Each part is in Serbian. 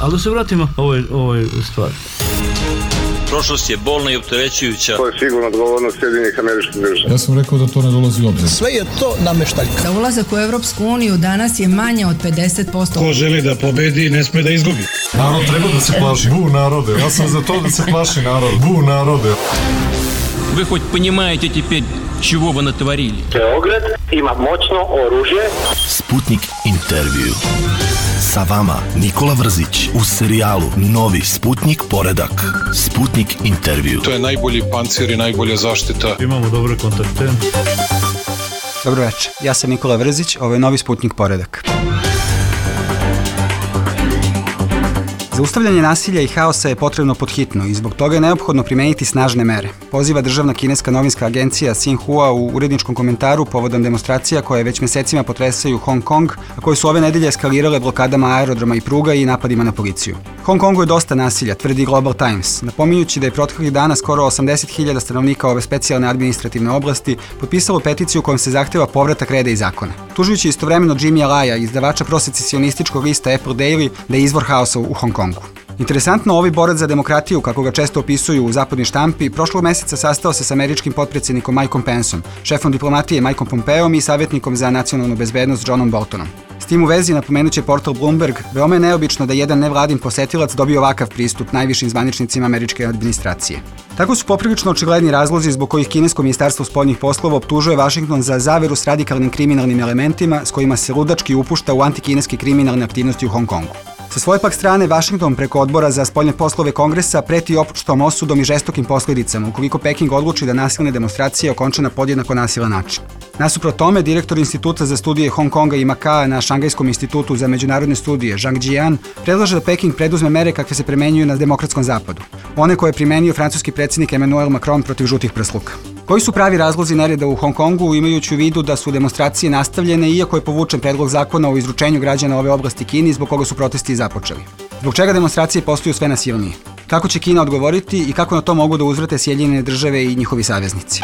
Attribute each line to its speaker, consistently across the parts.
Speaker 1: Ali da se vratimo ovoj stvari.
Speaker 2: Prošlost je bolna i opterećujuća.
Speaker 3: To je sigurno odgovornost Sjedinjenih Američkih Država.
Speaker 4: Ja sam rekao da to ne dolazi u obzir.
Speaker 5: Sve je to nameštaljka.
Speaker 6: Za ulazak u Evropsku uniju danas je manje od 50%.
Speaker 7: Ko želi da pobedi, ne sme da izgubi.
Speaker 4: Narod treba da se plaši. Bu narode. Ja sam za to da se plaši narod. Bu narode.
Speaker 8: Вы хоть понимаете теперь, чего вы натворили?
Speaker 9: Beograd ima moćno oružje.
Speaker 10: Sputnik intervju. Sa vama Nikola Vrzić u serijalu Novi Sputnik poredak. Sputnik intervju.
Speaker 7: To je najbolji pancir i najbolja zaštita.
Speaker 1: Imamo dobre kontakte.
Speaker 11: Dobro večer, ja sam Nikola Vrzić, ovo je Novi Sputnik poredak. Zaustavljanje nasilja i haosa je potrebno podhitno i zbog toga je neophodno primeniti snažne mere. Poziva državna kineska novinska agencija Xinhua u uredničkom komentaru povodom demonstracija koje već mesecima potresaju Hong Kong, a koje su ove nedelje eskalirale blokadama aerodroma i pruga i napadima na policiju. Hong Kongu je dosta nasilja, tvrdi Global Times, napominjući da je proteklih dana skoro 80.000 stanovnika ove specijalne administrativne oblasti potpisalo peticiju kojom se zahteva povratak reda i zakona. Tužujući istovremeno Jimmy Alaya, izdavača prosecesionističkog lista Apple Daily, da je izvor haosa u Hong Kongu. Interesantno, ovi borac za demokratiju, kako ga često opisuju u zapadnoj štampi, prošlog meseca sastao se sa američkim potpredsjednikom Mikeom Penceom, šefom diplomatije Mikeom Pompeom i savjetnikom za nacionalnu bezbednost Johnom Boltonom. S tim u vezi napomenuće portal Bloomberg, veoma je neobično da jedan nevladin posetilac dobije ovakav pristup najvišim zvaničnicima američke administracije. Tako su poprilično očigledni razlozi zbog kojih kinesko ministarstvo spoljnih poslova optužuje Vašington za zaveru s radikalnim kriminalnim elementima s kojima se ludački upušta u antikineske kriminalne aktivnosti u Hong Kongu. Sa svoje pak strane, Vašington preko odbora za spoljne poslove Kongresa preti opštom osudom i žestokim posljedicama ukoliko Peking odluči da nasilne demonstracije okonča na podjednako nasilan način. Nasuprot tome, direktor Instituta za studije Hong Konga i Makaa na Šangajskom institutu za međunarodne studije Zhang Jian predlaže da Peking preduzme mere kakve se primenjuju na demokratskom zapadu, one koje je primenio francuski predsjednik Emmanuel Macron protiv žutih prsluka. Koji su pravi razlozi nereda u Hong Kongu, imajući u vidu da su demonstracije nastavljene iako je povučen predlog zakona o izručenju građana ove oblasti Kini zbog koga su protesti započeli? Zbog čega demonstracije postaju sve nasilnije? Kako će Kina odgovoriti i kako na to mogu da uzvrate Sjedinjene Države i njihovi saveznici?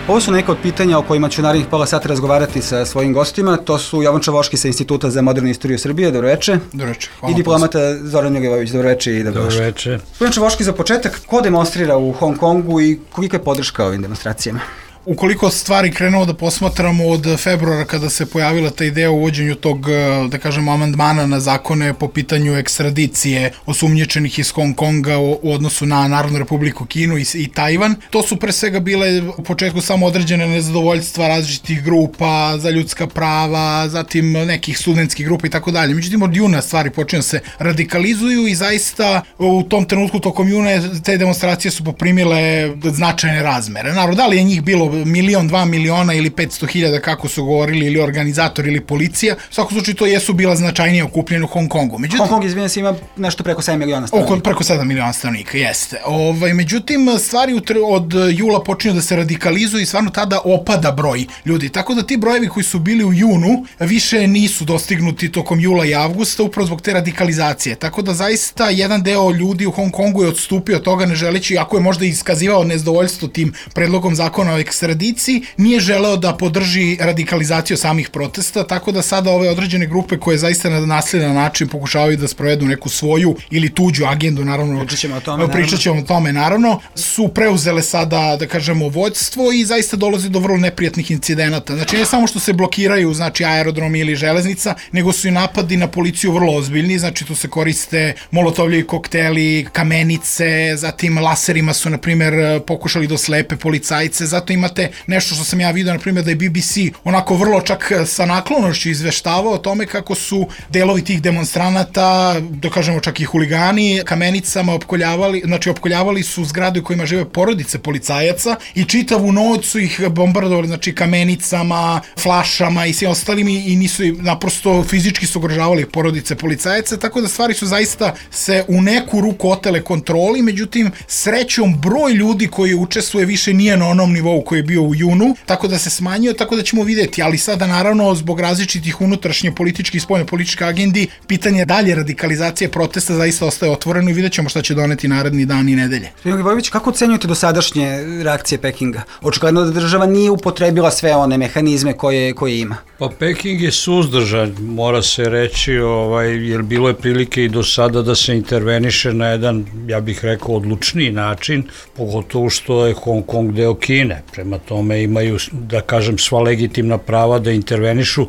Speaker 11: Ovo su neka od pitanja o kojima ću narednih pola sata razgovarati sa svojim gostima. To su Jovan Čavoški sa Instituta za modernu istoriju Srbije. Dobro večer.
Speaker 12: Dobro večer. Hvala.
Speaker 11: I diplomata Zoran Jogivović. Dobro večer i dobro
Speaker 1: večer.
Speaker 11: Jovan Čavoški, za početak, ko demonstrira u Hong Kongu i kolika je podrška ovim demonstracijama?
Speaker 12: Ukoliko stvari krenuo da posmatramo od februara kada se pojavila ta ideja o uvođenju tog, da kažemo, amandmana na zakone po pitanju ekstradicije osumnjičenih iz Hong Konga u odnosu na Narodnu republiku Kinu i Tajvan, to su pre svega bile u početku samo određene nezadovoljstva različitih grupa za ljudska prava, zatim nekih studentskih grupa i tako dalje. Međutim, od juna stvari počinju se radikalizuju i zaista u tom trenutku tokom juna te demonstracije su poprimile značajne razmere. Naravno, da li je njih bilo 1, 2 miliona ili 500.000 kako su govorili ili organizator ili policija, u svakom slučaju to jesu bila značajnije okupljene u Hong Kongu. Međutim,
Speaker 11: Hong Kong, izvinjam se, ima nešto preko 7 miliona stanovnika.
Speaker 12: Preko 7 miliona stanovnika, jeste. Međutim, stvari od jula počinju da se radikalizuju i stvarno tada opada broj ljudi. Tako da ti brojevi koji su bili u junu više nisu dostignuti tokom jula i avgusta upravo zbog te radikalizacije. Tako da zaista jedan deo ljudi u Hong Kongu je odstupio od toga ne želeći, ako je možda iskazivao nezadovoljstvo tim predlogom zakona o ekstradiciji, nije želeo da podrži radikalizaciju samih protesta, tako da sada ove određene grupe koje zaista na nasiljan način pokušavaju da sprovedu neku svoju ili tuđu agendu, naravno, pričat ćemo o tome, naravno, su preuzele sada, da kažemo, vođstvo i zaista dolazi do vrlo neprijatnih incidenata. Znači, ne samo što se blokiraju, znači, aerodromi ili železnica, nego su i napadi na policiju vrlo ozbiljni, znači, tu se koriste molotovljevi kokteli, kamenice, zatim laserima su, na primjer, pokušali da oslepe policajce, zato imate nešto što sam ja vidio, na primjer, da je BBC onako vrlo čak sa naklonošću izveštavao o tome kako su delovi tih demonstranata, da kažemo čak i huligani, kamenicama opkoljavali su zgrade u kojima žive porodice policajaca i čitavu noć su ih bombardovali, znači kamenicama, flašama i svim ostalim i nisu naprosto fizički su ugrožavali porodice policajaca, tako da stvari su zaista se u neku ruku otele kontroli, međutim, srećom broj ljudi koji učestvuje više nije na onom nivou koji koji je bio u junu, tako da se smanjio, tako da ćemo videti, ali sada naravno zbog različitih unutrašnje političke i spoljne političke agendi, pitanje dalje radikalizacije protesta zaista ostaje otvoreno i vidjet ćemo šta će doneti naredni dan i nedelje.
Speaker 11: Vojvović, kako ocenjujete dosadašnje reakcije Pekinga? Očigledno da država nije upotrebila sve one mehanizme koje ima.
Speaker 1: Pa Peking je suzdržan, mora se reći, jer bilo je prilike i do sada da se interveniše na jedan, ja bih rekao, odlučniji način, pogotovo što je Hong Kong deo Kine. Prema tome imaju, da kažem, sva legitimna prava da intervenišu,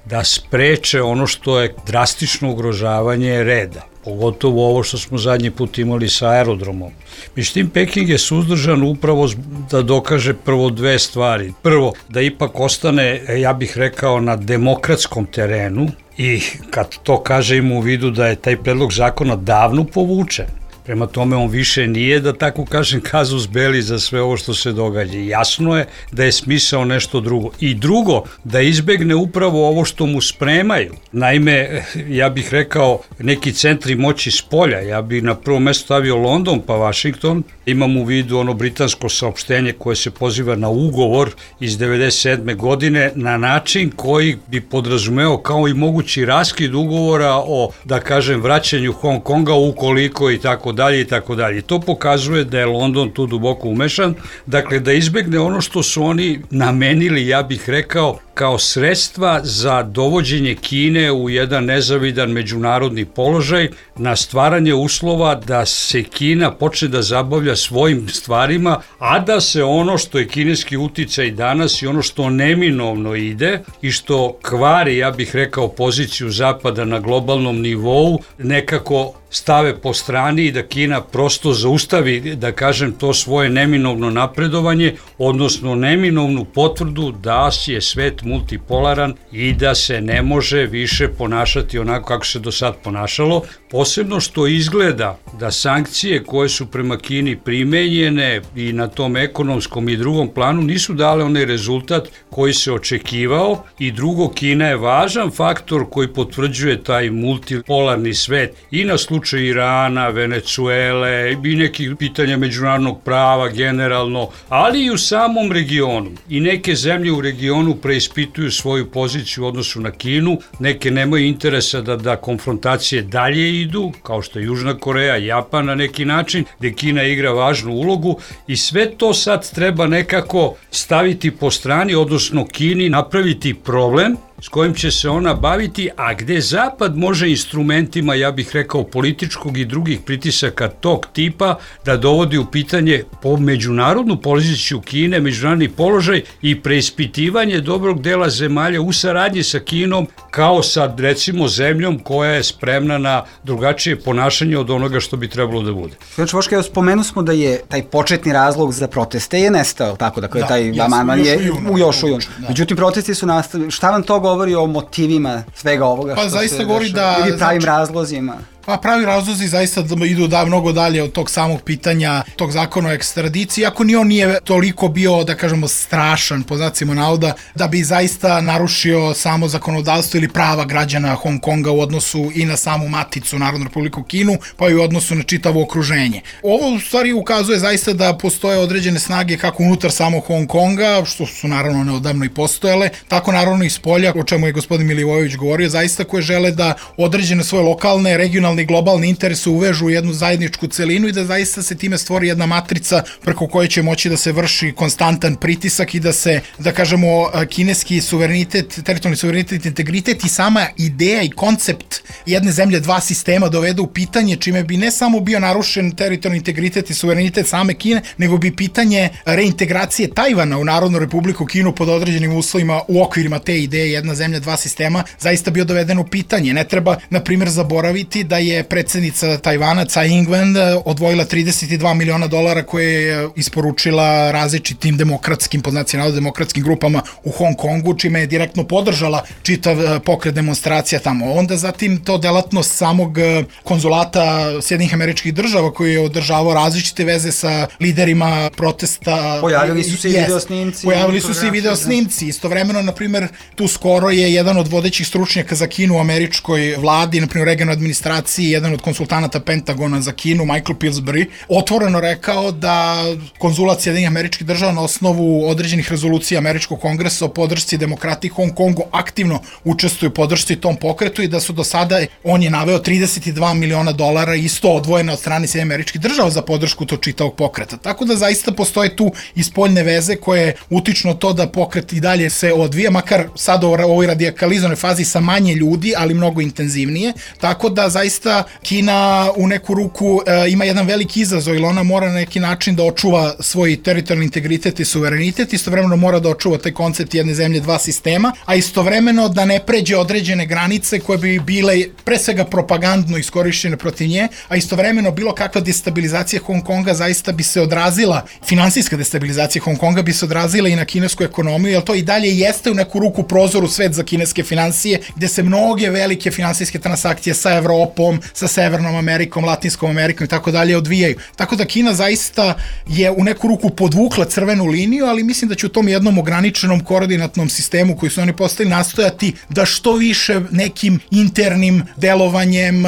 Speaker 1: da spreče ono što je drastično ugrožavanje reda. Pogotovo ovo što smo zadnji put imali sa aerodromom. Međutim, Peking je suzdržan upravo da dokaže prvo dve stvari. Prvo, da ipak ostane, ja bih rekao, na demokratskom terenu i kad to kaže ima u vidu da je taj predlog zakona davno povučen. Prema tome, on više nije, da tako kažem, kazus belli za sve ovo što se događa. Jasno je da je smisao nešto drugo. I drugo, da izbegne upravo ovo što mu spremaju. Naime, ja bih rekao, neki centri moći s polja. Ja bih na prvo mesto stavio London pa Washington. Imam u vidu ono britansko saopštenje koje se poziva na ugovor iz 1997. godine na način koji bi podrazumeo kao i mogući raskid ugovora o, da kažem, vraćanju Hong Konga ukoliko i tako dalje i tako dalje. To pokazuje da je London tu duboko umešan, dakle da izbegne ono što su oni namenili, ja bih rekao, kao sredstva za dovođenje Kine u jedan nezavidan međunarodni položaj, na stvaranje uslova da se Kina počne da zabavlja svojim stvarima, a da se ono što je kineski uticaj danas i ono što neminovno ide i što kvari, ja bih rekao, poziciju Zapada na globalnom nivou, nekako stave po strani i da Kina prosto zaustavi, da kažem, to svoje neminovno napredovanje, odnosno neminovnu potvrdu da je svet multipolaran i da se ne može više ponašati onako kako se do sad ponašalo, posebno što izgleda da sankcije koje su prema Kini primenjene i na tom ekonomskom i drugom planu nisu dale onaj rezultat koji se očekivao i drugo, Kina je važan faktor koji potvrđuje taj multipolarni svet i na slučaju Irana, Venecuele i nekih pitanja međunarodnog prava generalno, ali i u samom regionu. I neke zemlje u regionu preispituju svoju poziciju u odnosu na Kinu, neke nemaju interesa da konfrontacije dalje idu, kao što je Južna Koreja, Japan na neki način, gde Kina igra važnu ulogu i sve to sad treba nekako staviti po strani, odnosno Kini napraviti problem s kojim će se ona baviti, a gde Zapad može instrumentima, ja bih rekao, političkog i drugih pritisaka tog tipa da dovodi u pitanje po međunarodnu poziciju Kine, međunarodni položaj i preispitivanje dobrog dela zemalja u saradnji sa Kinom kao sa, recimo, zemljom koja je spremna na drugačije ponašanje od onoga što bi trebalo da bude.
Speaker 11: Znači, Voška, spomenu smo da je taj početni razlog za proteste je nestao, tako da taj amandman je još u junu. Međutim, protesti su nastavili. Šta vam to govori o motivima svega ovoga što
Speaker 12: zaista
Speaker 11: se
Speaker 12: govori
Speaker 11: dešava? Ili pravim razlozima?
Speaker 12: Pa pravi razlozi zaista idu mnogo dalje od tog samog pitanja tog zakona o ekstradiciji, ako ni on nije toliko bio, da kažemo, strašan, po znacima navoda, da bi zaista narušio samo zakonodavstvo ili prava građana Hong Konga u odnosu i na samu maticu Narodnu Republiku Kinu, pa i u odnosu na čitavo okruženje. Ovo u stvari ukazuje zaista da postoje određene snage kako unutar samog Hong Konga, što su naravno neodavno i postojale, tako naravno i spolja, o čemu je gospodin Milivojević govorio, zaista koje žele da određene svoje lokalne, regionalne i globalne interese uvežu u jednu zajedničku celinu i da zaista se time stvori jedna matrica preko koje će moći da se vrši konstantan pritisak i da se, da kažemo, kineski suverenitet, teritorijalni suverenitet, integritet i sama ideja i koncept jedne zemlje, dva sistema dovede u pitanje, čime bi ne samo bio narušen teritorijalni integritet i suverenitet same Kine, nego bi pitanje reintegracije Tajvana u Narodnu Republiku Kinu pod određenim uslovima u okvirima te ideje jedna zemlja, dva sistema zaista bio doveden u pitanje. Ne treba, na primjer, zaboraviti da je predsednica Tajvana Tsai Ing-wen odvojila $32 miliona koje je isporučila različitim demokratskim, po znacima navoda, demokratskim grupama u Hong Kongu, čime je direktno podržala čitav pokret demonstracija tamo. Onda zatim to delatnost samog konzulata Sjedinjenih Američkih Država koji je održavao različite veze sa liderima protesta.
Speaker 11: Pojavili su se i videosnimci.
Speaker 12: Pojavili su se i videosnimci. Istovremeno, na primjer, tu skoro je jedan od vodećih stručnjaka za Kinu u američkoj vladi, na primjer regionalnoj administraciji administraciji, jedan od konsultanata Pentagona za Kinu, Michael Pillsbury, otvoreno rekao da konzulat Sjedinjenih Američkih Država na osnovu određenih rezolucija Američkog kongresa o podršci demokratiji Hong Kongu aktivno učestvuju u podršci tom pokretu i da su do sada, on je naveo $32 miliona isto odvojeno od strane Sjedinjenih Američkih Država za podršku tog čitavog pokreta. Tako da zaista postoje tu i spoljne veze koje utiču na to da pokret i dalje se odvija, makar sad u ovoj radikalizovanoj fazi sa manje ljudi, ali mnogo intenzivnije. Tako da zaista Kina u neku ruku ima jedan veliki izazov, ili ona mora na neki način da očuva svoj teritorijalni integritet i suverenitet, istovremeno mora da očuva taj koncept jedne zemlje, dva sistema, a istovremeno da ne pređe određene granice koje bi bile pre svega propagandno iskorišćene protiv nje, a istovremeno bilo kakva destabilizacija Hong Konga zaista bi se odrazila, finansijska destabilizacija Hong Konga bi se odrazila i na kinesku ekonomiju, jer to i dalje jeste u neku ruku prozor u svet za kineske financije, gde se mnoge velike finansijske transakcije sa Evropom, sa Severnom Amerikom, Latinskom Amerikom i tako dalje odvijaju. Tako da Kina zaista je u neku ruku podvukla crvenu liniju, ali mislim da će u tom jednom ograničenom koordinatnom sistemu koji su oni postavili nastojati da što više nekim internim delovanjem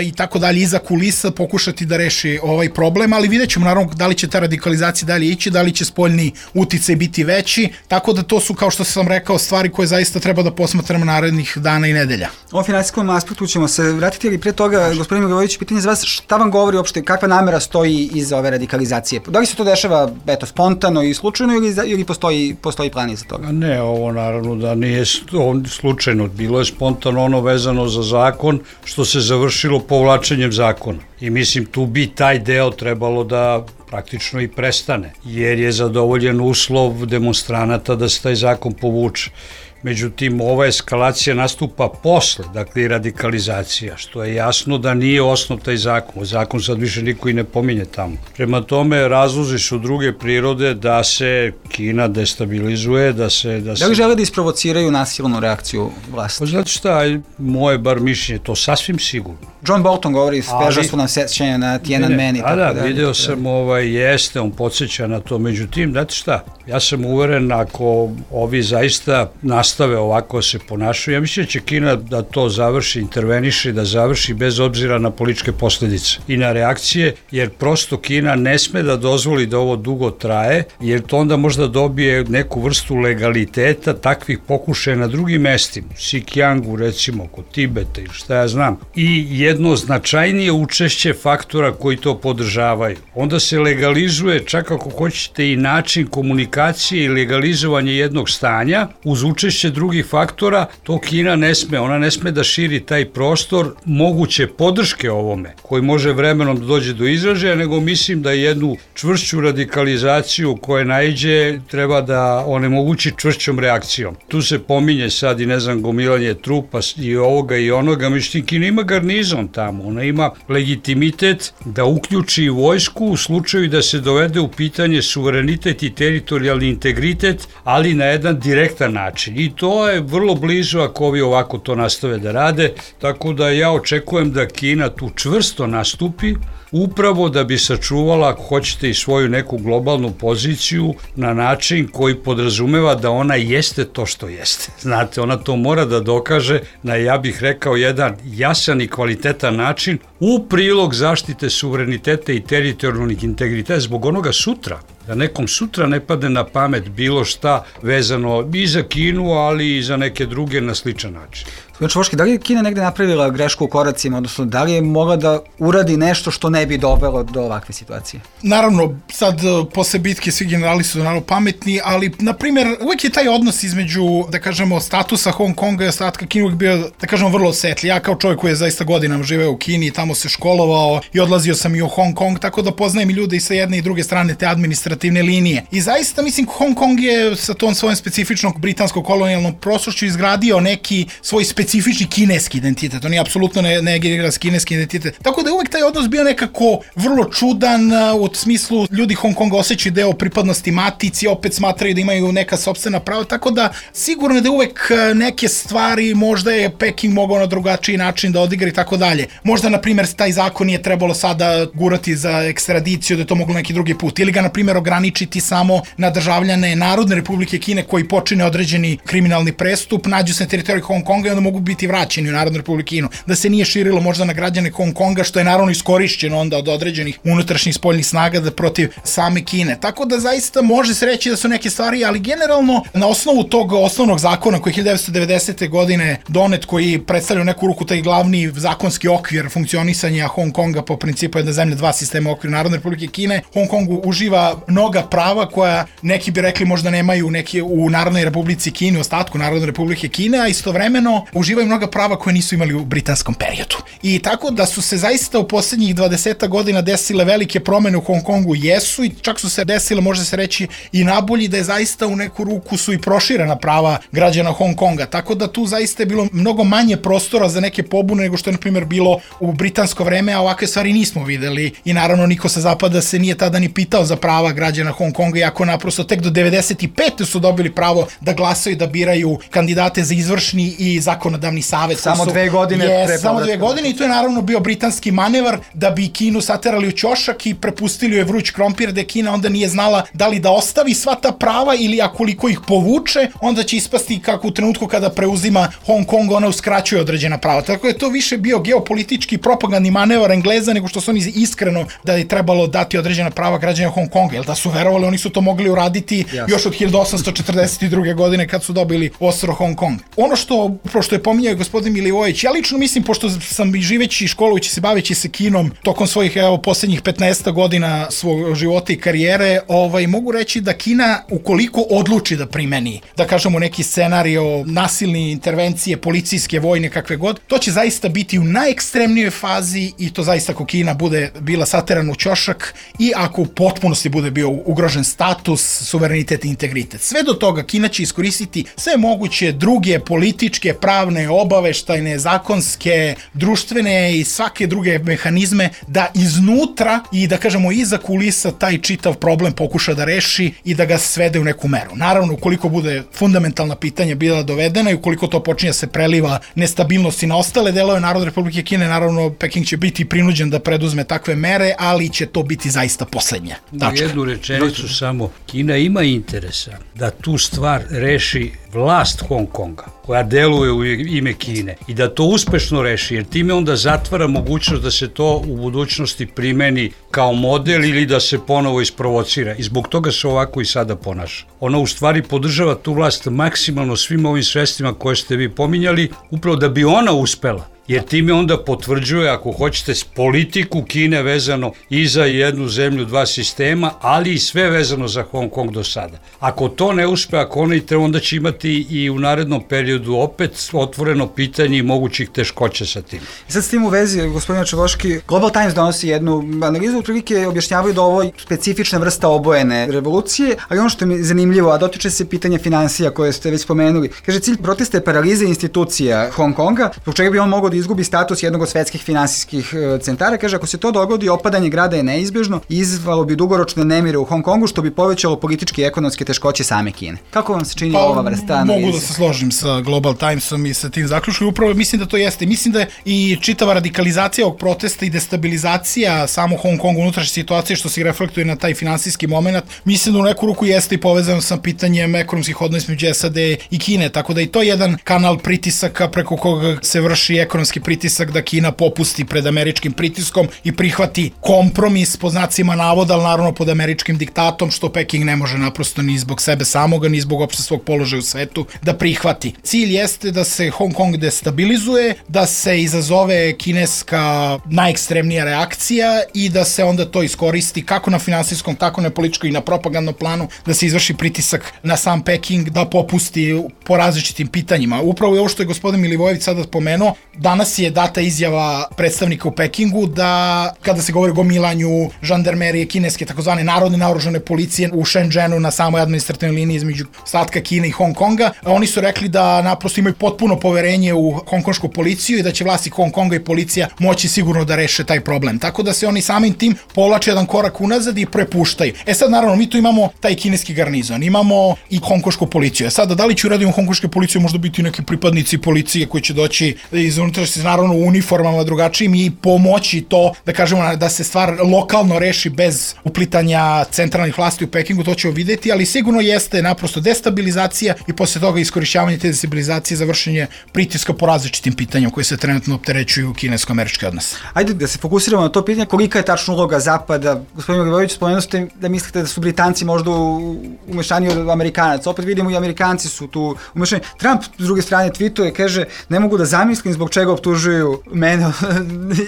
Speaker 12: i tako dalje iza kulisa pokušati da reši ovaj problem, ali vidjet ćemo naravno da li će ta radikalizacija dalje ići, da li će spoljni uticaj biti veći, tako da to su, kao što sam rekao, stvari koje zaista treba da posmatramo narednih dana i nedelja.
Speaker 11: O finansijskom aspektu ćemo se vratiti, ali pre toga, gospodin Milović, pitanje za vas, šta vam govori uopšte, kakva namera stoji iza ove radikalizacije? Da li se to dešava, eto, spontano i slučajno ili postoji plan iza toga?
Speaker 1: Ne, ovo naravno da nije slučajno, bilo je spontano ono vezano za zakon, što se završilo povlačenjem zakona. I mislim, tu bi taj deo trebalo da praktično i prestane, jer je zadovoljen uslov demonstranata da se taj zakon povuče. Međutim, ova eskalacija nastupa posle, dakle i radikalizacija, što je jasno da nije osnov taj zakon. Zakon sad više niko i ne pominje tamo. Prema tome, razlozi su druge prirode da se Kina destabilizuje, da
Speaker 11: li žele da isprovociraju nasilnu reakciju vlasti?
Speaker 1: Pa znate šta, moje bar mišljenje, to sasvim sigurno.
Speaker 11: John Bolton govori, speža su nam sećanja na Tiananmen i tako dalje.
Speaker 1: Da, video sam, jeste, on podsjeća na to. Međutim, znate šta, ja sam uveren ako ovi zaista nastave ovako se ponašaju, ja mislim da će Kina da to završi, interveniše, da završi bez obzira na političke posledice i na reakcije, jer prosto Kina ne sme da dozvoli da ovo dugo traje, jer to onda možda dobije neku vrstu legaliteta takvih pokušaja na drugim mestima, Xinjiangu recimo, kod Tibeta ili šta ja znam, i jedno značajnije učešće faktora koji to podržavaju. Onda se legalizuje, čak ako hoćete, i način komunikacije i legalizovanje jednog stanja uz učešće drugih faktora, to Kina ne sme, ona ne sme da širi taj prostor moguće podrške ovome, koji može vremenom da dođe do izražaja, nego mislim da jednu čvršću radikalizaciju koja naiđe treba da onemogući čvršćom reakcijom. Tu se pominje sad i ne znam gomilanje trupa i ovoga i onoga, međutim Kina ima garnizon tamo, ona ima legitimitet da uključi vojsku u slučaju da se dovede u pitanje suverenitet i teritorijalni integritet, ali na jedan direktan način. I to je vrlo blizu ako ovi ovako to nastave da rade, tako da ja očekujem da Kina tu čvrsto nastupi, upravo da bi sačuvala, ako hoćete, i svoju neku globalnu poziciju na način koji podrazumeva da ona jeste to što jeste. Znate, ona to mora da dokaže na, ja bih rekao, jedan jasan i kvalitetan način u prilog zaštite suvereniteta i teritorijalnih integriteta zbog onoga sutra. Da nekom sutra ne padne na pamet bilo šta vezano i za Kinu, ali i za neke druge na sličan način.
Speaker 11: Čvoški, da li je Kina negde napravila grešku u koracima, odnosno da li je mogla da uradi nešto što ne bi dovelo do ovakve situacije?
Speaker 12: Naravno, sad posle bitke svi generali su naravno pametni, ali, na primjer, uvek je taj odnos između, da kažemo, statusa Hong Konga i ostatka Kine uvek bio, da kažemo, vrlo osetljiv. Ja kao čovjek koji je zaista godinama živeo u Kini i tamo se školovao i odlazio sam i u Hong Kong, tako da poznajem i ljude i sa jedne i druge strane te administrativne linije. I zaista, mislim, Hong Kong je sa tom svojom specifičnog britansko-kolonijalnom prošlošću izgradio neki svoj specifični kineski identitet, on je apsolutno ne generira kineski identitet. Tako da je uvek taj odnos bio nekako vrlo čudan, u smislu ljudi Hong Konga osjećaju deo pripadnosti matici, opet smatraju da imaju neka sopstvena prava, tako da sigurno je da uvek neke stvari možda je Peking mogao na drugačiji način da odigra i tako dalje. Možda, na primjer, taj zakon nije trebalo sada gurati za ekstradiciju, da je to moglo neki drugi put, ili ga, na primjer, ograničiti samo na državljane Narodne Republike Kine koji počine određeni kriminalni prestup, nađu se na teritoriji Hong Konga i onda mogu mogu biti vraćeni u Narodnu Republiku Kinu, da se nije širilo možda na građane Hong Konga, što je naravno iskorišćeno onda od određenih unutrašnjih spoljnih snaga da protiv same Kine. Tako da zaista može se reći da su neke stvari, ali generalno na osnovu tog osnovnog zakona koji je 1990. godine donet, koji predstavlja u neku ruku taj glavni zakonski okvir funkcionisanja Hong Konga po principu jedna zemlja, dva sistema u okviru Narodne Republike Kine, Hong Kongu uživa mnoga prava koja neki bi rekli možda nemaju neki u Narodnoj Republici Kini, u ostatku Narodne Republike Kine, a istovremeno uživaju mnoga prava koje nisu imali u britanskom periodu. I tako da su se zaista u poslednjih 20 godina desile velike promene u Hong Kongu, jesu, i čak su se desile, može se reći, i nabolji, da je zaista u neku ruku su i proširena prava građana Hong Konga. Tako da tu zaista je bilo mnogo manje prostora za neke pobune nego što je, na primjer, bilo u britansko vreme, a ovakve stvari nismo videli. I naravno niko sa zapada se nije tada ni pitao za prava građana Hong Konga, iako naprosto tek do 95. su dobili pravo da glasaju, da biraju kandidate za izvršni i zakonodavni savet.
Speaker 11: Samo 2 godine pre povratka.
Speaker 12: Samo 2 godine, i to je naravno bio britanski manevar da bi Kinu saterali u ćošak i prepustili joj vruć krompir, da Kina onda nije znala da li da ostavi sva ta prava ili akoliko ih povuče, onda će ispasti kako u trenutku kada preuzima Hong Kong ona uskraćuje određena prava. Tako je to više bio geopolitički propagandni manevar Engleza nego što su oni iskreno da je trebalo dati određena prava građana Hong Konga. Jer da su verovali, oni su to mogli uraditi još od 1842. godine kad su dobili ostrvo Hong Kong. Ono što je pominjao gospodin Milivojević, ja lično mislim, pošto sam i živeći i školujući se, baveći se kinom tokom svojih poslednjih 15 godina svog života i karijere, mogu reći da Kina, ukoliko odluči da primeni, da kažemo, neki scenario nasilne intervencije, policijske, vojne, kakve god, to će zaista biti u najekstremnijoj fazi, i to zaista ako Kina bude bila saterana u ćošak i ako u potpunosti bude bio ugrožen status, suverenitet i integritet. Sve do toga Kina će iskoristiti sve moguće druge političke, pravne, obaveštajne, zakonske, društvene i svake druge mehanizme da iznutra i da kažemo iza kulisa taj čitav problem pokuša da reši i da ga svede u neku meru. Naravno, ukoliko bude fundamentalna pitanja bila dovedena i ukoliko to počinje se preliva nestabilnosti na ostale delove Narodne Republike Kine, naravno Peking će biti prinuđen da preduzme takve mere, ali će to biti zaista poslednja tačka.
Speaker 1: Jednu rečenicu samo. Kina ima interesa da tu stvar reši vlast Hong Konga, koja deluje u ime Kine, i da to uspešno reši, jer time onda zatvara mogućnost da se to u budućnosti primeni kao model ili da se ponovo isprovocira. I zbog toga se ovako i sada ponaša. Ona u stvari podržava tu vlast maksimalno svim ovim sredstvima koje ste vi pominjali, upravo da bi ona uspela. Jer time onda potvrđuje, ako hoćete, politiku Kine vezano i za jednu zemlju, dva sistema, ali i sve vezano za Hong Kong do sada. Ako to ne uspe, ako ona onda će imati i u narednom periodu opet otvoreno pitanje i mogućih teškoća sa tim.
Speaker 11: I sad s tim u vezi, gospodine Čevoški, Global Times donosi jednu analizu, otprilike objašnjavaju da ovo je specifična vrsta obojene revolucije, ali ono što je zanimljivo, a dotiče se pitanja finansija koje ste već spomenuli. Kaže, cilj protesta je paraliza institucija Hong Konga, zbog čega bi on mogao da izgubi status jednog od svetskih finansijskih centara. Kaže, ako se to dogodi, opadanje grada je neizbežno i izvalo bi dugoročne nemire u Hong Kongu, što bi povećalo političke i ekonomske teškoće same Kine. Kako vam se čini ova vrsta analize?
Speaker 12: Mogu da se složim sa Global Timesom i sa tim zaključkom. Upravo mislim da to jeste. Mislim da i čitava radikalizacija ovog protesta i destabilizacija samo Hong Kongu, unutrašnje situacije, što se reflektuje na taj finansijski moment, mislim da u neku ruku jeste i povezano sa pitanjem ekonomskih odnosa među SAD i Kine. Tako da i to je jedan kanal pritisaka preko koga se vrši ekonomski pritisak da Kina popusti pred američkim pritiskom i prihvati kompromis po znacima navoda, ali naravno pod američkim diktatom, što Peking ne može naprosto ni zbog sebe samoga, ni zbog opšte svog položaja u svetu da prihvati. Cilj jeste da se Hong Kong destabilizuje, da se izazove kineska najekstremnija reakcija i da se onda to iskoristi kako na finansijskom, tako na političkom i na propagandnom planu, da se izvrši pritisak na sam Peking da popusti po različitim pitanjima. Upravo je ovo što je gospodin Milivojević sada spomenuo. Danas je data izjava predstavnika u Pekingu da kada se govori o gomilanju žandarmerije kineske, takozvane narodne naoružane policije u Shenzhenu na samoj administrativnoj liniji između ostatka Kine i Hong Konga, oni su rekli da naprosto imaju potpuno poverenje u hongkonšku policiju i da će vlasti Hong Konga i policija moći sigurno da reše taj problem. Tako da se oni samim tim povlače jedan korak unazad i prepuštaju. Sad naravno mi tu imamo taj kineski garnizon, imamo i hongkonšku policiju. Sada da li će uraditi hongkonške policije, možda biti neki pripadnici policije koji će doći iz unutrašnjosti, naravno u uniformama drugačijim i pomoći to, da kažemo, da se stvar lokalno reši bez uplitanja centralnih vlasti u Pekingu, to ćemo videti, ali sigurno jeste naprosto destabilizacija i posle toga iskorišćavanje te destabilizacije za vršenje pritiska po različitim pitanjima koji se trenutno opterećuju kinesko-američki odnos.
Speaker 11: Ajde da se fokusiramo na to pitanje, kolika je tačno uloga Zapada. Gospodin Milivojević, spomenuli ste da mislite da su Britanci možda umešani od Amerikanaca. Opet vidimo i Amerikanci su tu umešani. Trump, s druge strane, tweetuje, kaže, ne mogu da zamislim zbog čega optužuju mene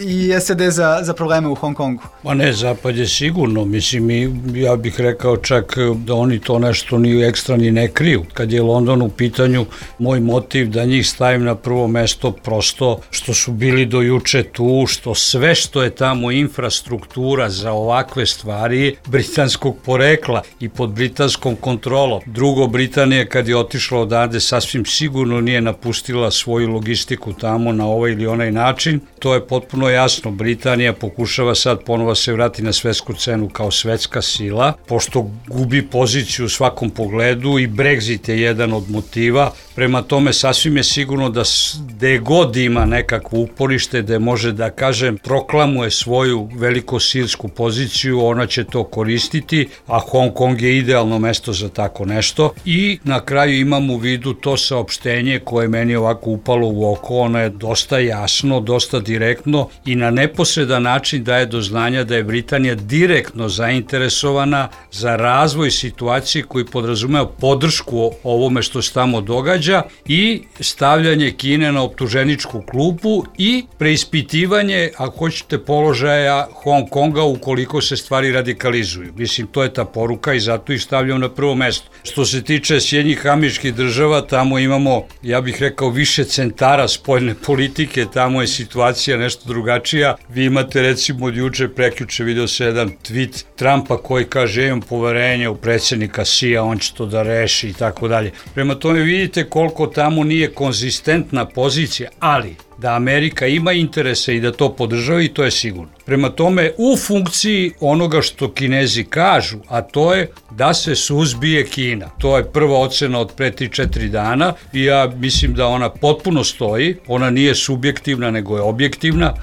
Speaker 11: i SAD za probleme u Hong Kongu.
Speaker 1: Ma ne, Zapad je sigurno, mislim, ja bih rekao čak da oni to nešto ni ekstra ni ne kriju. Kad je London u pitanju, moj motiv da njih stavim na prvo mesto prosto što su bili do juče tu, što sve što je tamo infrastruktura za ovakve stvari britanskog porekla i pod britanskom kontrolom. Drugo, Britanija kad je otišla odavde sasvim sigurno nije napustila svoju logistiku tamo na ovaj ili onaj način. To je potpuno jasno. Britanija pokušava sad ponovo se vrati na svetsku cenu kao svetska sila, pošto gubi poziciju u svakom pogledu i Brexit je jedan od motiva. Prema tome sasvim je sigurno da gde god ima nekakvo uporište, da može da kažem proklamuje svoju velikosilsku poziciju, ona će to koristiti, a Hong Kong je idealno mesto za tako nešto. I na kraju imam u vidu to saopštenje koje meni ovako upalo u oko, ono je dosta jasno, dosta direktno i na neposredan način daje do znanja da je Britanija direktno zainteresovana za razvoj situacije koji podrazumeva podršku ovome što se tamo događa i stavljanje Kine na optuženičku klupu i preispitivanje, ako hoćete, položaja Hong Konga ukoliko se stvari radikalizuju. Mislim, to je ta poruka i zato ih stavljam na prvo mesto. Što se tiče Sjedinjenih Američkih Država, tamo imamo, ja bih rekao, više centara spoljne politike, tamo je situacija nešto drugačija. Vi imate recimo od juče, prekjuče video se jedan tweet Trumpa koji kaže imam poverenje u predsjednika Xi-a, on će to da reši i tako dalje. Prema tome vidite koliko tamo nije konzistentna pozicija, ali da Amerika ima interese i da to podržava i to je sigurno. Prema tome, u funkciji onoga što Kinezi kažu, a to je da se suzbije Kina. To je prva ocena od pre 3-4 dana i ja mislim da ona potpuno stoji, ona nije subjektivna nego je objektivna.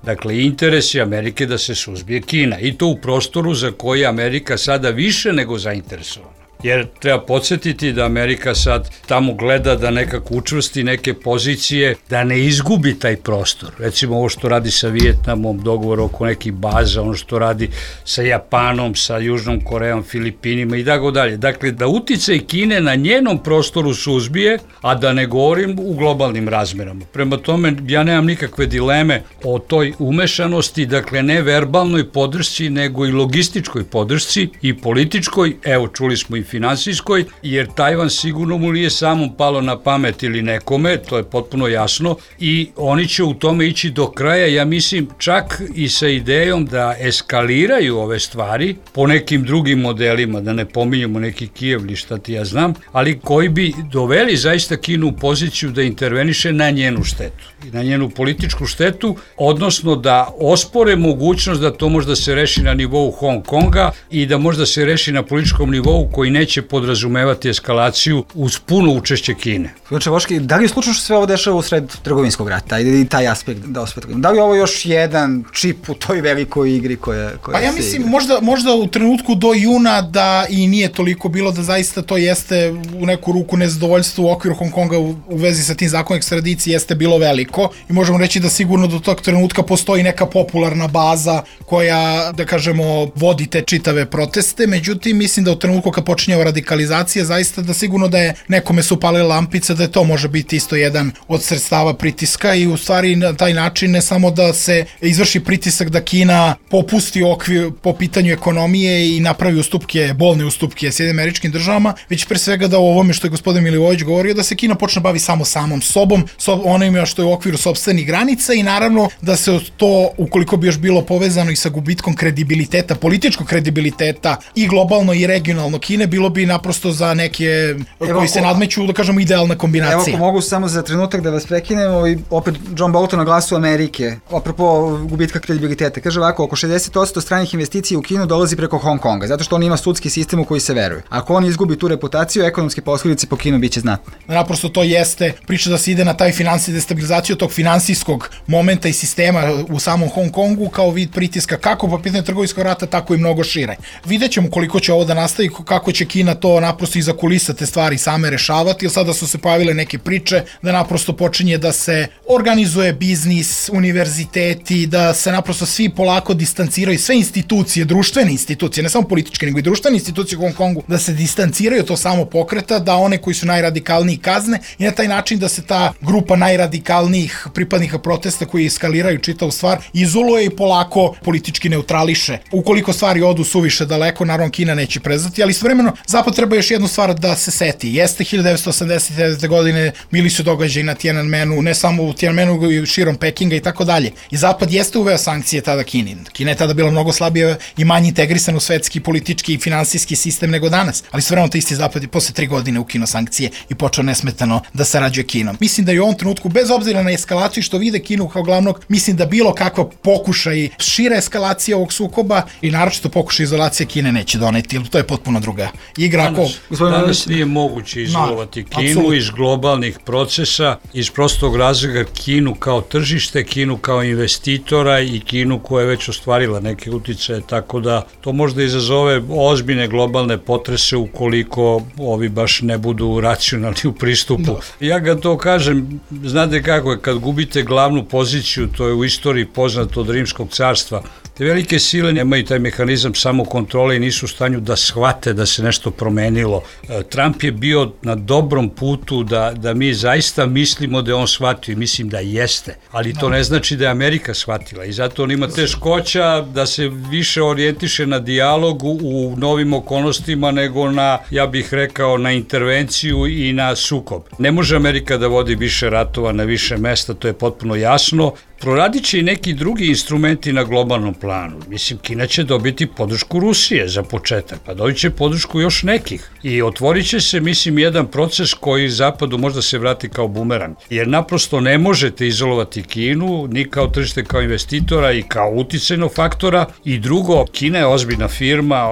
Speaker 1: Dakle, interes je Amerike da se suzbije Kina i to u prostoru za koji je Amerika sada više nego zainteresovana. Jer treba podsjetiti da Amerika sad tamo gleda da nekako učvrsti neke pozicije, da ne izgubi taj prostor. Recimo ovo što radi sa Vijetnamom, dogovor oko nekih baza, ono što radi sa Japanom, sa Južnom Korejom, Filipinima i tako dalje. Dakle, da uticaj Kine na njenom prostoru suzbije, a da ne govorim u globalnim razmerama. Prema tome, ja nemam nikakve dileme o toj umešanosti, dakle ne verbalnoj podršci, nego i logističkoj podršci i političkoj, evo čuli smo i finansijskoj, jer Tajvan sigurno mu nije samom palo na pamet ili nekome, to je potpuno jasno i oni će u tome ići do kraja, ja mislim čak i sa idejom da eskaliraju ove stvari po nekim drugim modelima, da ne pominjamo neki Kijev ili šta ti ja znam, ali koji bi doveli zaista Kinu u poziciju da interveniše na njenu štetu i na njenu političku štetu, odnosno da ospore mogućnost da to možda se reši na nivou Hong Konga i da možda se reši na političkom nivou koji neće podrazumevati eskalaciju uz puno učešće Kine.
Speaker 11: Znači, Voški, da li je slučajno što sve ovo dešava u sred trgovinskog rata i taj aspekt da osvetljamo? Da li je ovo još jedan čip u toj velikoj igri koja
Speaker 12: pa ja mislim, možda u trenutku do juna da i nije toliko bilo da zaista to jeste u neku ruku nezadovoljstvo u okviru Hong Konga u vezi sa tim zakonom ekstradicije jeste bilo veliko i možemo reći da sigurno do tog trenutka postoji neka popularna baza koja, da kažemo, vodi te čitave proteste, međutim mislim da u trenutku kad počinje radikalizacija, zaista da sigurno da je nekome su upalile lampice, da je to može biti isto jedan od sredstava pritiska i u stvari na taj način ne samo da se izvrši pritisak da Kina popusti okvir po pitanju ekonomije i napravi ustupke, bolne ustupke Sjedinjenim Američkim Državama, već pre svega da u ovome što je gospodin Milivojević govorio, da se Kina počne bavi samo samom sobom, onima što je u okviru sopstvenih granica i naravno da se to, ukoliko bi još bilo povezano i sa gubitkom kredibiliteta, političkog kredibiliteta i globalno i regionalno Kine, bilo bilo bi naprosto za neke koji se nadmeću, da kažemo, idealna kombinacija.
Speaker 11: Evo, ako mogu samo za trenutak da vas prekinem, i opet John Bolton na Glasu Amerike, apropo gubitka kredibiliteta, kaže ovako, oko 60% stranih investicija u Kinu dolazi preko Hong Konga, zato što on ima sudski sistem u koji se veruje. Ako on izgubi tu reputaciju, ekonomske posledice po Kinu biće znatne.
Speaker 12: Naprosto to jeste priča da se ide na taj destabilizaciju tog finansijskog momenta i sistema u samom Hong Kongu kao vid pritiska kako po pitanju trgovinskog rata, tako i mnogo šire. Vidjet ćemo koliko će ovo da nastavi, kako će Kina to naprosto iza kulisa te stvari same rešavati, jer sada su se pojavile neke priče da naprosto počinje da se organizuje biznis, univerziteti, da se naprosto svi polako distanciraju, sve institucije, društvene institucije, ne samo političke, nego i društvene institucije u Hong Kongu, da se distanciraju to samo pokreta, da one koji su najradikalniji kazne i na taj način da se ta grupa najradikalnijih pripadnika protesta koji eskaliraju čitavu stvar izoluje i polako politički neutrališe. Ukoliko stvari odu suviše daleko, naravno Kina neće prezati, ali istovremeno Zapad treba još jednu stvar da se seti. Jeste 1989. godine bili su događaji na Tiananmenu, ne samo u Tiananmenu, nego i širom Pekinga i tako dalje. I Zapad jeste uveo sankcije tada Kini. Kina je tada bila mnogo slabija i manje integrisan u svetski, politički i finansijski sistem nego danas. Ali istovremeno to isti Zapad je posle 3 godine ukinuo sankcije i počeo nesmetano da sarađuje Kinom. Mislim da je u ovom trenutku, bez obzira na eskalaciju što vide Kinu kao glavnog, mislim da bilo kakva pokušaj šira eskalacija ovog sukoba i naročito pokušaj izolacije Kine neće doneti, jer to je potpuno druga igra.
Speaker 1: Danas nije moguće izolovati Kinu iz globalnih procesa, iz prostog razloga Kinu kao tržište, Kinu kao investitora i Kinu koja je već ostvarila neke uticaje, tako da to možda izazove ozbiljne globalne potrese ukoliko ovi baš ne budu racionalni u pristupu. Ja ga to kažem, znate kako je, kad gubite glavnu poziciju, to je u istoriji poznato od Rimskog carstva, te velike sile nemaju taj mehanizam samokontrole i nisu u stanju da shvate da se nešto promenilo. Trump je bio na dobrom putu da mi zaista mislimo da je on shvatio i mislim da jeste, ali to ne znači da je Amerika shvatila i zato on ima teškoća da se više orijentiše na dijalogu u novim okolnostima nego na, ja bih rekao, na intervenciju i na sukob. Ne može Amerika da vodi više ratova na više mesta, to je potpuno jasno. Proradit će i neki drugi instrumenti na globalnom planu. Mislim, Kina će dobiti podršku Rusije za početak, pa dobit će podršku još nekih. I otvorit će se, mislim, jedan proces koji Zapadu možda se vrati kao bumerang. Jer naprosto ne možete izolovati Kinu, ni kao tržište, kao investitora i kao uticajnog faktora. I drugo, Kina je ozbiljna firma,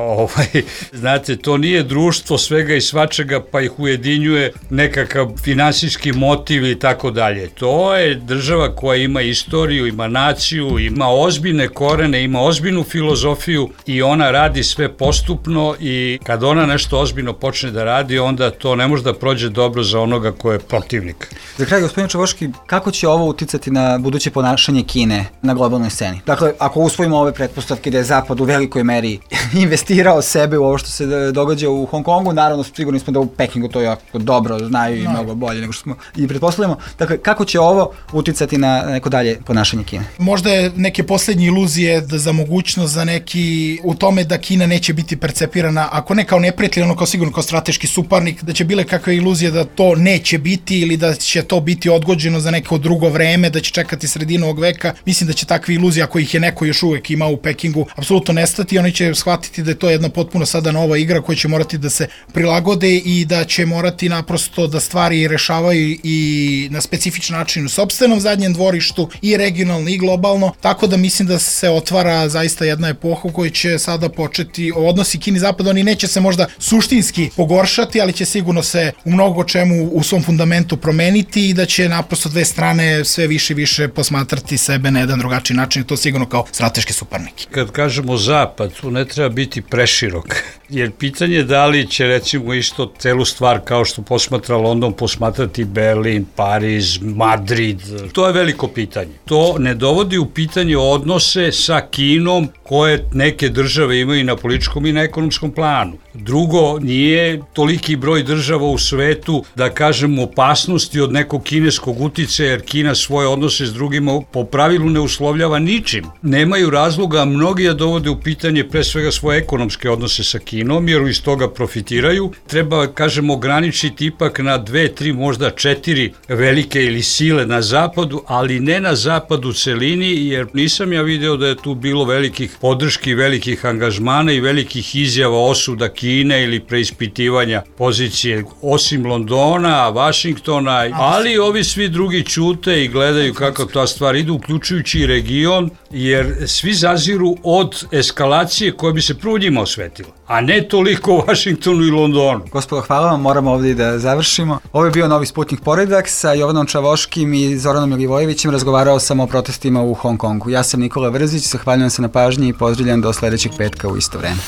Speaker 1: znate, to nije društvo svega i svačega, pa ih ujedinjuje nekakav finansijski motiv i tako dalje. To je država koja ima istoriju, ima naciju, ima ozbiljne korene, ima ozbiljnu filozofiju i ona radi sve postupno i kad ona nešto ozbiljno počne da radi, onda to ne može da prođe dobro za onoga ko je protivnik.
Speaker 11: Za kraj, gospodin Čavoški, kako će ovo uticati na buduće ponašanje Kine na globalnoj sceni? Dakle, ako usvojimo ove pretpostavke da je Zapad u velikoj meri investirao sebe u ovo što se događa u Hong Kongu, naravno sigurni smo da u Pekingu to jako dobro znaju i mnogo bolje nego što smo i pretpostavljamo. Dakle, kako će ovo uticati na neko dalje ponašanje Kine?
Speaker 12: Možda je neke poslednje iluzije za mogućnost za neki u tome da Kina neće biti percepirana, ako ne kao neprijatelj, ono kao sigurno kao strateški suparnik, da će bile kakve iluzije da to neće biti ili da će to biti odgođeno za neko drugo vreme, da će čekati sredinu ovog veka. Mislim da će takve iluzije, ako ih je neko još uvek imao u Pekingu, apsolutno nestati. Oni će shvatiti da je to jedna potpuno sada nova igra koja će morati da se prilagode i da će morati naprosto da stvari rešavaju i na specifičan način u sopstvenom zadnjem dvorištu i regionalno i globalno, tako da mislim da se otvara zaista jedna epoha u kojoj će sada početi odnosi Kini i Zapada, oni neće se možda suštinski pogoršati, ali će sigurno se u mnogo čemu u svom fundamentu promeniti i da će naprosto dve strane sve više i više posmatrati sebe na jedan drugačiji način i to sigurno kao strateški suparniki.
Speaker 1: Kad kažemo Zapad, tu ne treba biti preširok, jer pitanje je da li će recimo isto celu stvar kao što posmatra London, posmatrati Berlin, Pariz, Madrid, to je veliko pitanje. To ne dovodi u pitanje odnose sa Kinom koje neke države imaju na političkom i na ekonomskom planu. Drugo, nije toliki broj država u svetu da kažemo opasnosti od nekog kineskog uticaja, jer Kina svoje odnose s drugima po pravilu ne uslovljava ničim. Nemaju razloga mnogi da dovode u pitanje pre svega svoje ekonomske odnose sa Kinom, jer iz toga profitiraju. Treba, kažemo, ograničiti ipak na 2, 3, možda 4 velike ili sile na zapadu, ali ne na zapadu celini, jer nisam ja video da je tu bilo velikih podrški, velikih angažmana i velikih izjava osuda Kine ili preispitivanja pozicije osim Londona, Vašingtona, ali ovi svi drugi ćute i gledaju kako ta stvar ide, uključujući i region, jer svi zaziru od eskalacije koja bi se prvo njima osvetila, a ne toliko u Vašingtonu i Londonu.
Speaker 11: Gospodo, hvala vam, moramo ovdje da završimo. Ovo je bio Novi Sputnik Poredak sa Jovanom Čavoškim i Zoranom Milivojevićem. Razgovarao sam o protestima u Hong Kongu. Ja sam Nikola Vrzić, zahvaljujem se na pažnji i pozdravljam do sledećeg petka u isto vreme.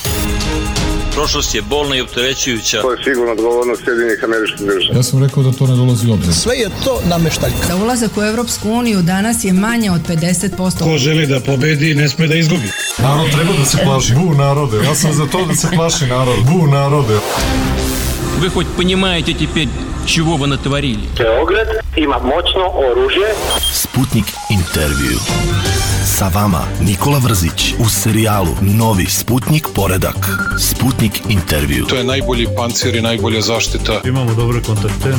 Speaker 2: Prošlost je bolna i opterećujuća.
Speaker 3: To je sigurno odgovornost Sjedinjenih Američkih Država.
Speaker 4: Ja sam rekao da to ne dolazi u obzir.
Speaker 5: Sve je to nameštaljka.
Speaker 6: Za ulazak u Evropsku uniju danas je manje od 50%.
Speaker 7: Ko želi da pobedi, ne sme da izgubi.
Speaker 4: Narod treba da se plaši. Bu narode. Ja sam za to da se plaši narod. Bu narode.
Speaker 8: Вы хоть понимаете теперь, чего вы натворили?
Speaker 9: Beograd ima moćno oružje.
Speaker 10: Sputnik intervju. Sa vama Nikola Vrzić u serijalu Novi Sputnik Poredak. Sputnik intervju.
Speaker 7: To je najbolji pancir i najbolja zaštita.
Speaker 4: Imamo dobre kontakte.